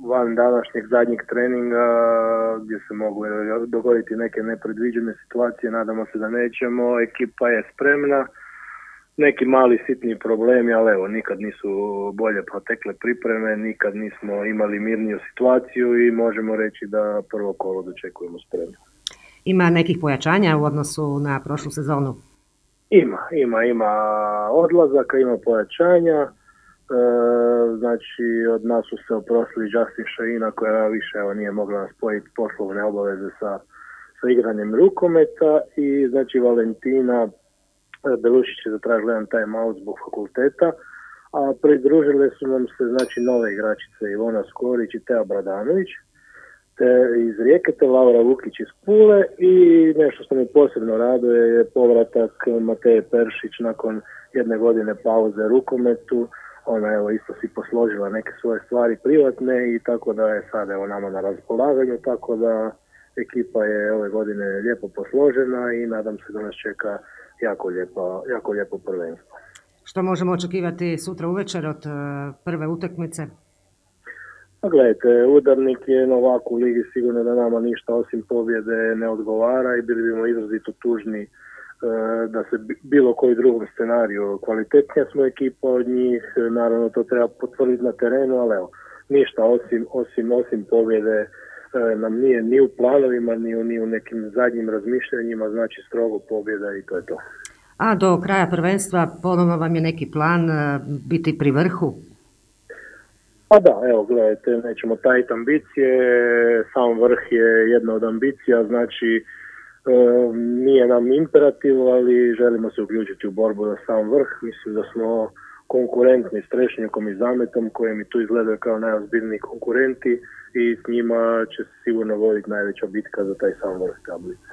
van današnjeg zadnjeg treninga gdje se mogu dogoditi neke nepredviđene situacije, nadamo se da nećemo, ekipa je spremna, neki mali sitni problemi, ali evo, nikad nisu bolje protekle pripreme, nikad nismo imali mirniju situaciju i možemo reći da prvo kolo dočekujemo spremno. Ima nekih pojačanja u odnosu na prošlu sezonu? Ima odlazaka, ima pojačanja. Znači od nas su se oprostili Justin Šaina koja više nije mogla spojiti poslovne obaveze sa igranjem rukometa i znači Valentina Belušić je zatražila jedan time out zbog fakulteta, a pridružile su nam se znači nove igračice Ivona Skorić i Teja Bradanović iz Rijeke, te Laura Vukić iz Pule i nešto što mi posebno raduje je povratak Mateje Peršić nakon jedne godine pauze rukometu. Ona evo isto si posložila neke svoje stvari privatne i tako da je sad evo nama na raspolaganju, tako da ekipa je ove godine lijepo posložena i nadam se da nas čeka jako lijepo prvenstvo. Što možemo očekivati sutra uvečer od prve utakmice? Pa gledajte, udarnik je novak u ligi, sigurno da nama ništa osim pobjede ne odgovara i bili bimo izrazito tužni da se bilo koji drugom scenariju kvalitetnija smo ekipa od njih, naravno to treba potvrditi na terenu, ali evo, ništa osim pobjede nam nije ni u planovima, ni u nekim zadnjim razmišljanjima, znači strogo pobjeda i to je to. A do kraja prvenstva ponovno vam je neki plan biti pri vrhu? Pa da, evo gledajte, nećemo tajiti ambicije, sam vrh je jedna od ambicija, znači nije nam imperativ, ali želimo se uključiti u borbu za sam vrh. Mislim da smo konkurentni s Trešnjakom i Zametom koji mi tu izgledaju kao najozbiljniji konkurenti i s njima će se sigurno voditi najveća bitka za taj sam vrh tablice.